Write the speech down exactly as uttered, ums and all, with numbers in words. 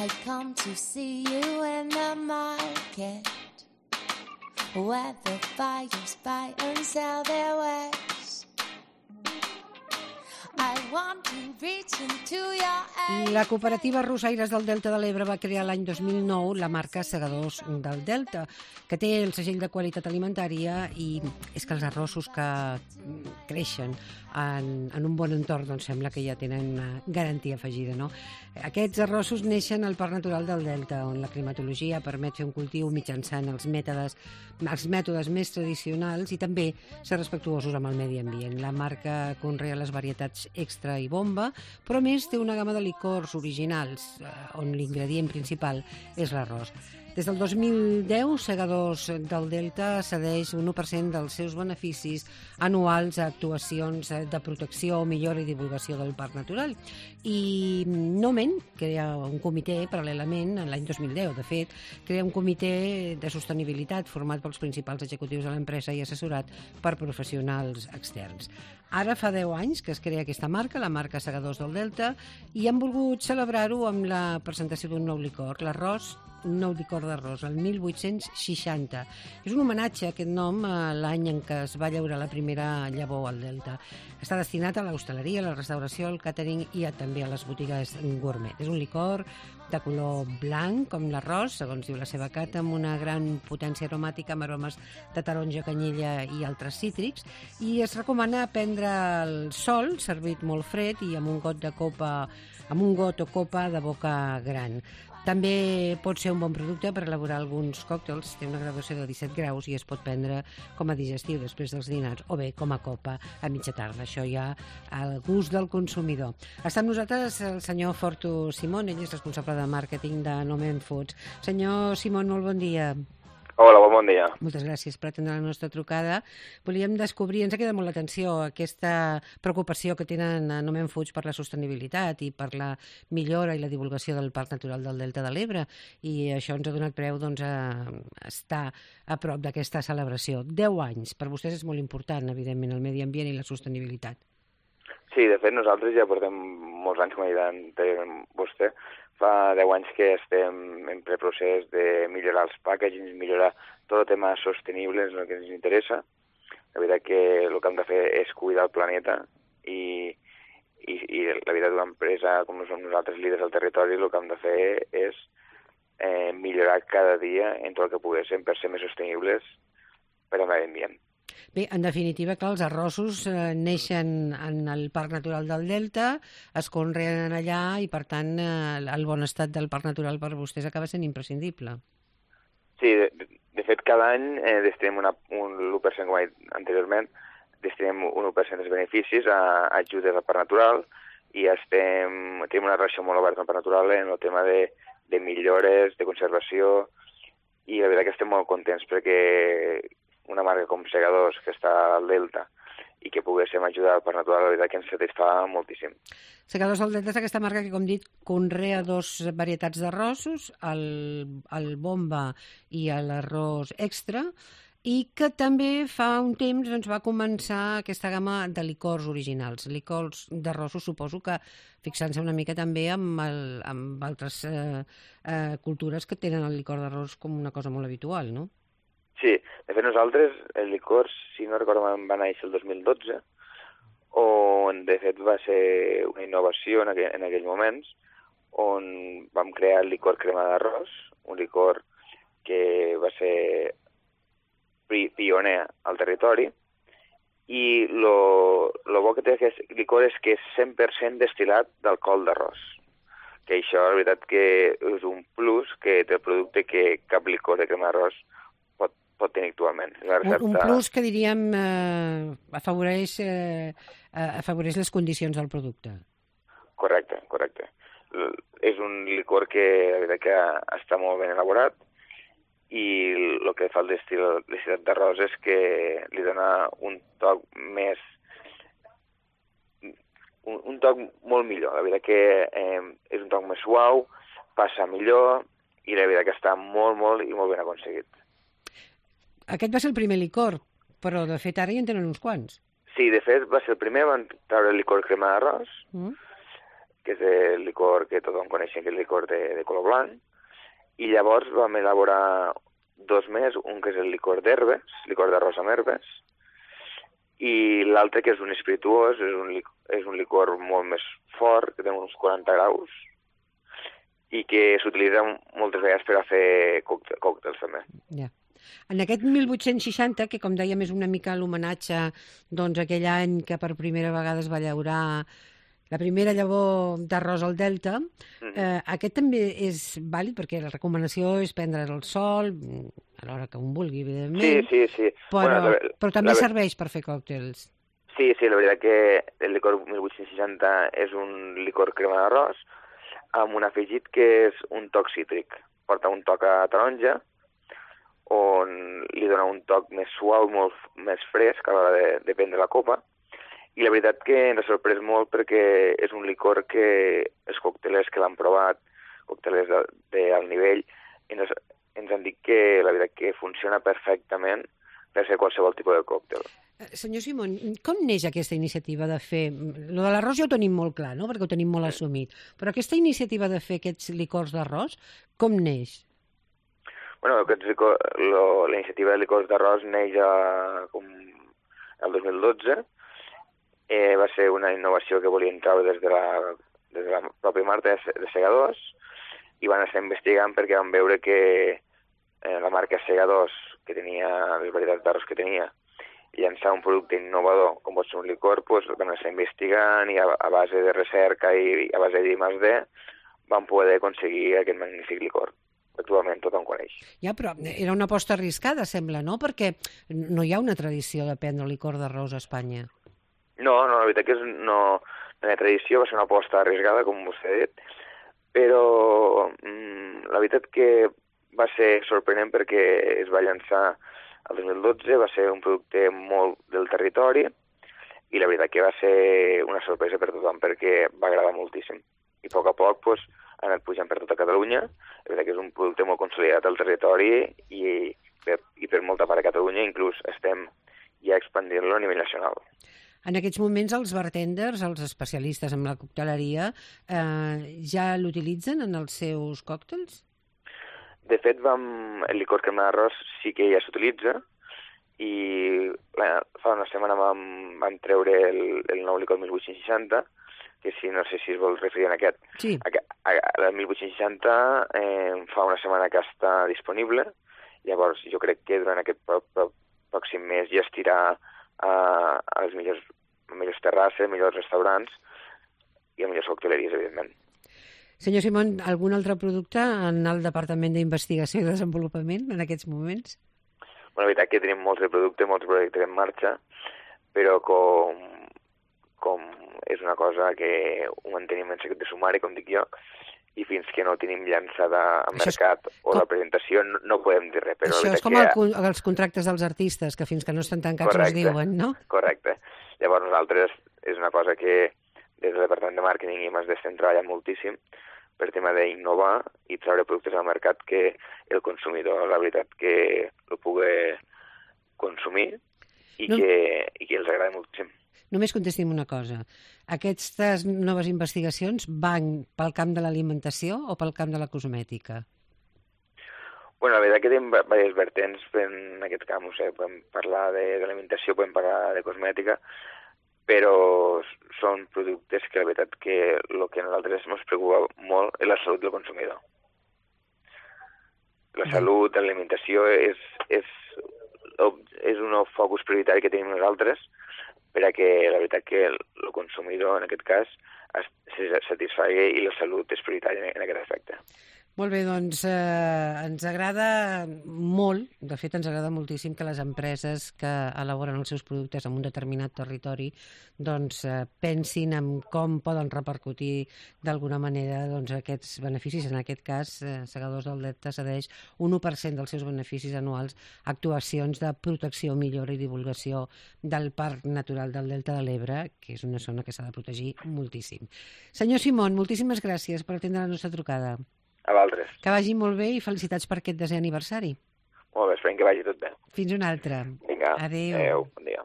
I come to see you in the market, where the buyers buy and sell their wares. I want to reach into your eyes. La cooperativa Arrossaires del Delta de l'Ebre va crear l'any dos mil nou la marca Segadors del Delta, que té el segell de qualitat alimentària, i és que els arrossos que creixen en, en un bon entorn doncs sembla que ja tenen una garantia afegida, no? Aquests arrossos neixen al Parc Natural del Delta, on la climatologia permet fer un cultiu mitjançant els mètodes, els mètodes més tradicionals i també ser respectuosos amb el medi ambient. La marca conrea les varietats extra i bomba, però a més té una gamma de licors originals, on l'ingredient principal és l'arròs. Des del dos mil deu, Segadors del Delta cedeix un u per cent dels seus beneficis anuals a actuacions de protecció, millora i divulgació del parc natural. I Nomen crea un comitè, paral·lelament, l'any dos mil deu, de fet, crea un comitè de sostenibilitat format pels principals executius de l'empresa i assessorat per professionals externs. Ara fa deu anys que es crea aquesta marca, la marca Segadors del Delta, i han volgut celebrar-ho amb la presentació d'un nou licor, l'arròs, un nou licor d'arròs, el mil vuit-cents seixanta. És un homenatge, aquest nom, a l'any en què es va llaurar la primera llavor al Delta. Està destinat a l'hostaleria, a la restauració, al càtering i a, també a les botigues gourmet. És un licor de color blanc, com l'arròs, segons diu la seva carta, amb una gran potència aromàtica, amb aromes de taronja, canyella i altres cítrics, i es recomana prendre el sol, servit molt fred i amb un got de copa, amb un got o copa de boca gran. També pot ser un bon producte per elaborar alguns còctels, té una graduació de disset graus i es pot prendre com a digestiu després dels dinars o bé com a copa a mitja tarda. Això ja al gust del consumidor. Està amb nosaltres el senyor Fortu Simón, ell és responsable de màrqueting de Nomen Foods. Senyor Simón, molt bon dia. Hola, bon dia. Moltes gràcies per atendre la nostra trucada. Volíem descobrir, ens ha quedat molt l'atenció, aquesta preocupació que tenen a Nomen Foods per la sostenibilitat i per la millora i la divulgació del Parc Natural del Delta de l'Ebre, i això ens ha donat preu doncs, a estar a prop d'aquesta celebració. Deu anys, per vostès és molt important, evidentment, el medi ambient i la sostenibilitat. Sí, de fet, nosaltres ja portem molts anys, com ha dit anteriorment vostè. Fa deu anys que estem en preprocés de millorar els packagings, millorar tot el tema sostenible, és el que ens interessa. La veritat que el que hem de fer és cuidar el planeta i, i, i la veritat d'una empresa com som nosaltres, líders del territori, el que hem de fer és eh, millorar cada dia en tot el que poguéssim per ser més sostenibles per al medi ambient. Bé, en definitiva, clar, els arrossos eh, neixen en el Parc Natural del Delta, es conreen allà i, per tant, eh, el bon estat del Parc Natural per vostès acaba sent imprescindible. Sí, de, de fet, cada any eh, destinem una, un l'u per cent, com he dit anteriorment, destinem un u per cent dels beneficis a, a ajudes al Parc Natural i estem, tenim una relació molt oberta amb el Parc Natural en el tema de, de millores, de conservació, i la veritat que estem molt contents perquè una marca com Segadors, que està al Delta, i que poguéssim ajudar al Parc Natural, la veritat que ens satisfà moltíssim. Segadors del Delta és aquesta marca que, com dit, conrea dos varietats d'arrossos, el, el bomba i l'arròs extra, i que també fa un temps doncs, va començar aquesta gamma de licors originals, licors d'arrossos, suposo que fixant-se una mica també amb, el, amb altres eh, eh, cultures que tenen el licor d'arròs com una cosa molt habitual, no? Sí, de fet nosaltres el licor, si no recordo, va néixer el dos mil dotze, on de fet va ser una innovació en aquell, en aquells moments, on vam crear el licor crema d'arròs, un licor que va ser pioner al territori, i lo, lo bo que té aquest licor és que és cent per cent destil·lat d'alcohol d'arròs. Que això, la veritat, que és un plus que té el producte que cap licor de crema d'arròs pot, pot tenir actualment. Recepta... Un plus que, diríem, eh, afavoreix, eh, afavoreix les condicions del producte. Correcte, correcte. L és un licor que, la veritat, que està molt ben elaborat, i el que fa el destil·lat d'arròs és que li dona un toc més... Un, un toc molt millor. La veritat que eh, és un toc més suau, passa millor, i la veritat que està molt, molt i molt ben aconseguit. Aquest va ser el primer licor, però de fet ara ja en tenen uns quants. Sí, de fet va ser el primer, van treure el licor crema d'arròs, mm. que és el licor que tothom coneixem, que és el licor de, de color blanc, i llavors vam elaborar dos més, un que és el licor d'herbes, licor d'arròs amb herbes, i l'altre que és un espirituós, és un, licor, és un licor molt més fort, que té uns quaranta graus, i que s'utilitza moltes vegades per a fer còctels, còctels també. Ja. En aquest mil vuit-cents seixanta, que com dèiem és una mica l'homenatge doncs, aquell any que per primera vegada es va llaurar la primera llavor d'arròs al Delta, mm. eh, aquest també és vàlid perquè la recomanació és prendre el sol a l'hora que un vulgui, evidentment. Sí, sí, sí. Però, bueno, la, però també la... serveix per fer còctels. Sí, sí, la veritat que el licor mil vuit-cents seixanta és un licor crema d'arròs amb un afegit que és un toc cítric. Porta un toc a taronja, on li dona un toc més suau, molt més fresc a l'hora de, de prendre la copa. I la veritat que ens ha sorprès molt perquè és un licor que els còctelers que l'han provat, còctelers d'alt nivell, ens, ens han dit que la veritat que funciona perfectament per fer qualsevol tipus de còctel. Senyor Simón, com neix aquesta iniciativa de fer... Lo de l'arròs ja ho tenim molt clar, no?, perquè ho tenim molt assumit. Però aquesta iniciativa de fer aquests licors d'arròs, com neix? Bueno, aquests licor, lo, la iniciativa de licors d'arròs neix a, com, el dos mil dotze. Eh, va ser una innovació que volien treure des de la, des de la pròpia marca de, de segadors i van estar investigant perquè van veure que eh, la marca Segadors, que tenia les varietats d'arròs que tenia, llançar un producte innovador com pot ser un licor, doncs van estar investigant i a, a base de recerca i a base de I més D van poder aconseguir aquest magnífic licor. Actualment tothom coneix. Ja, però era una aposta arriscada, sembla, no? Perquè no hi ha una tradició de prendre licor d'arròs a Espanya. No, no, la veritat que és no, no hi ha tradició, va ser una aposta arriscada, com vostè ha dit, però mmm, la veritat que va ser sorprenent perquè es va llançar el dos mil dotze, va ser un producte molt del territori i la veritat que va ser una sorpresa per tothom perquè va agradar moltíssim. I a poc a poc pues, ha anat pujant per tota Catalunya. La veritat que és un producte molt consolidat al territori i per, i per molta part de Catalunya, inclús estem ja expandint-lo a nivell nacional. En aquests moments els bartenders, els especialistes en la cocteleria, eh, ja l'utilitzen en els seus còctels? De fet, vam, el licor crema d'arròs sí que ja s'utilitza i la, fa una setmana vam, vam treure el, el nou licor mil vuit-cents seixanta, que si no sé si es vol referir en aquest. Sí. El mil vuit-cents seixanta eh, fa una setmana que està disponible, llavors jo crec que durant aquest pro, pro, pròxim mes ja es tirà a, a les millors, millors terrasses, millors restaurants i a millors cocteleries, evidentment. Senyor Simón, algun altre producte en el Departament d'Investigació i Desenvolupament en aquests moments? Bueno, la veritat que tenim molts de productes, molts projectes en marxa, però com, com és una cosa que ho mantenim en secret de sumari, com dic jo, i fins que no tenim llançada al mercat és... o la presentació no, no podem dir res. Però això és com que... el, els contractes dels artistes, que fins que no estan tancats correcte, els diuen, no? Correcte. Llavors nosaltres és una cosa que des del Departament de Màrqueting i I més D estem treballant moltíssim per tema d'innovar i treure productes al mercat que el consumidor, la veritat, que el pugui consumir i, no. que, i que els agradi moltíssim. Només contesti'm una cosa. Aquestes noves investigacions van pel camp de l'alimentació o pel camp de la cosmètica? Bueno, la veritat que tenim diversos vertents en aquest camp. O sigui, podem parlar d'alimentació, podem parlar de cosmètica, però són productes que la veritat que el que a nosaltres ens preocupa molt és la salut del consumidor. La salut, l'alimentació és, és, és un focus prioritari que tenim nosaltres per a que la veritat que el, el consumidor, en aquest cas, es, se satisfagui i la salut és prioritària en aquest aspecte. Molt bé, doncs eh, ens agrada molt, de fet ens agrada moltíssim que les empreses que elaboren els seus productes en un determinat territori doncs eh, pensin en com poden repercutir d'alguna manera doncs, aquests beneficis. En aquest cas, eh, Segadors del Delta cedeix un u per cent dels seus beneficis anuals a actuacions de protecció, millora i divulgació del Parc Natural del Delta de l'Ebre, que és una zona que s'ha de protegir moltíssim. Senyor Simón, moltíssimes gràcies per atendre la nostra trucada. A vosaltres. Que vagi molt bé i felicitats per aquest desè aniversari. Molt bé, esperem que vagi tot bé. Fins una altra. Vinga. Adéu. Adéu. Bon dia.